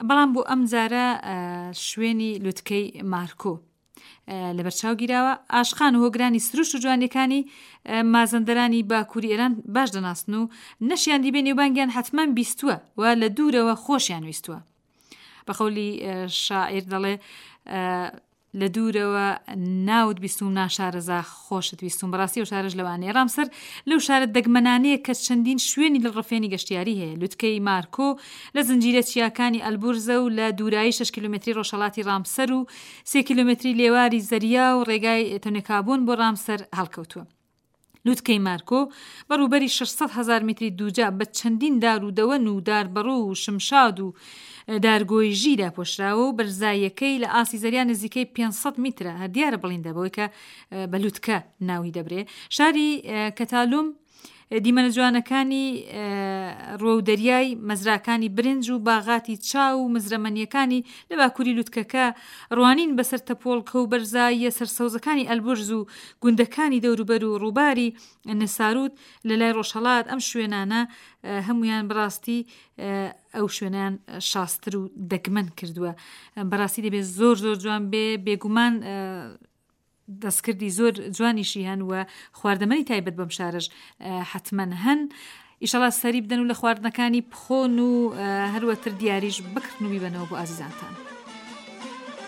بەڵام بۆ ئەم جارە شوێنی لوتکەی مارکۆ لەبەرچاو گیراوە ئاشقان و هۆگرانی سروشت و جوانیەکانی مازەندەرانی باکووری ئێران باش دەناسن و نەشیان دیبێ نێوبانگیان حتمما بیستووە و لە دوورەوە خۆشیان ویستووە بەقەولی شاعیر دەڵێ لە دوورەوە ناوت بیستوم ناشارەزا خۆشت ویستوم بەڕاستی ئەو شارەش لەوانەیە ڕامسەر لەو شارە دەگمەنانەیە کە چەندین شوێنی دڵڕفێنی گەشتیاری هەیە لوتکەی مارکۆ لە زنجیرە چیاکانی ئەلبورزە و لە دوورایی 6 کیلومتری ڕۆژهەڵاتی ڕامسەر و 3 کیلومتری لێواری زەریا و ڕێگای تۆنێکابوون بۆ ڕامسەر هەڵکەوتووە. لوتکەی مارکۆ بە ڕووبەری 600 هەزار میتری دووجا بە چەندین دار و دەوەن و داربەڕوو و شمشاد و دارگۆیژی داپۆشراوە و بەرزاییەکەی لە ئاستی زەریا نزیکەی 500 میترە هەر دیارە بڵیندە بەوەی کە بە لوتکە ناوی دەبرێ شاری کەتالوم دیمەنە جوانەکانی ڕوەو دەریای مەزراکانی برنج و باغاتی چا و مزرەمەنیەکانی لە باکووری لوتکەکە ڕوانین بەسەر تەپۆڵکە و بەرزاییە سەرسەوزەکانی ئەلبورز و گوندەکانی دەوروبەر و ڕووباری نساروت لە لای ڕۆژهەڵات ئەم شوێنانە هەمویان بەڕاستی ئەو شوێنیان شاستر و دەگمەن کردووە بەڕاستی دەبێت زۆر زۆر جوان بێ بێگومان دەستکردی زۆر جوانیشی هەن و خواردەمەنی تایبەت بەم شارەش حەتمەن هەن ئیشەڵا سەری بدەن و لە خواردنەکانی بخۆن و هەروەتر دیاریش بکڕن و بیبەنەوە بۆ ئازیزانتان.